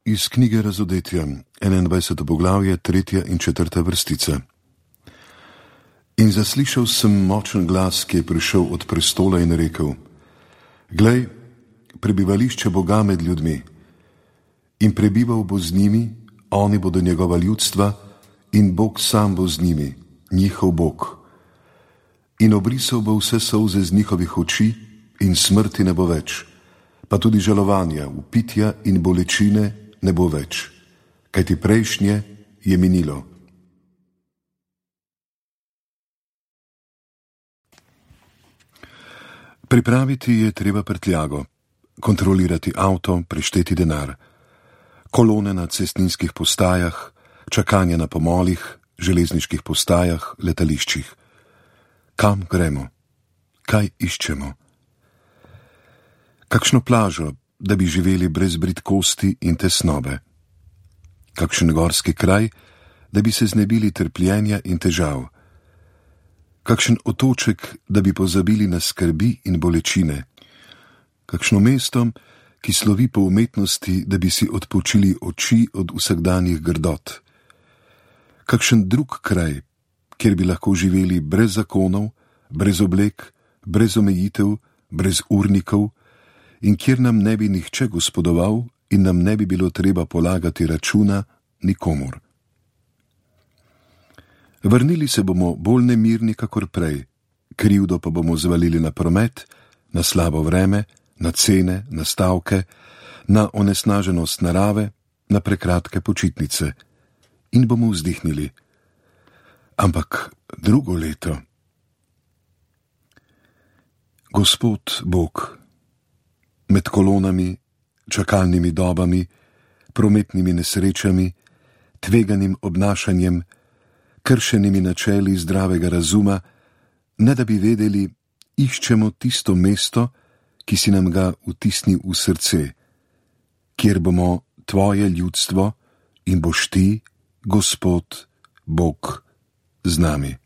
Iz knjige Razodetja, 21. poglavje, 3. in 4. vrstica. In zaslišal sem močen glas, ki je prišel od prestola in rekel: Glej, prebivališče Boga med ljudmi, in prebival bo z njimi, oni bodo njegova ljudstva, in Bog sam bo z njimi, njihov Bog. In obrisal bo vse solze z njihovih oči, in smrti ne bo več, pa tudi žalovanja, vpitja in bolečine ne bo več, kajti prejšnje je minilo. Pripraviti je treba prtljago, kontrolirati avto, prešteti denar, kolone na cestninskih postajah, čakanje na pomolih, železniških postajah, letališčih. Kam gremo? Kaj iščemo? Kakšno plažo, da bi živeli brez bridkosti in tesnobe? Kakšen gorski kraj, da bi se znebili trpljenja in težav? Kakšen otoček, da bi pozabili na skrbi in bolečine? Kakšno mesto, ki slovi po umetnosti, da bi si odpočili oči od vsakdanjih grdot? Kakšen drug kraj, kjer bi lahko živeli brez zakonov, brez oblek, brez omejitev, brez urnikov, in kjer nam ne bi nihče gospodoval in nam ne bi bilo treba polagati računa nikomur. Vrnili se bomo bolj nemirni kakor prej, krivdo pa bomo zvalili na promet, na slabo vreme, na cene, na stavke, na onesnaženost narave, na prekratke počitnice in bomo vzdihnili. Ampak drugo leto. Gospod Bog, med kolonami, čakalnimi dobami, prometnimi nesrečami, tveganim obnašanjem, kršenimi načeli zdravega razuma, ne da bi vedeli, iščemo tisto mesto, ki si nam ga vtisni v srce, kjer bomo tvoje ljudstvo in boš ti, Gospod Bog, z nami.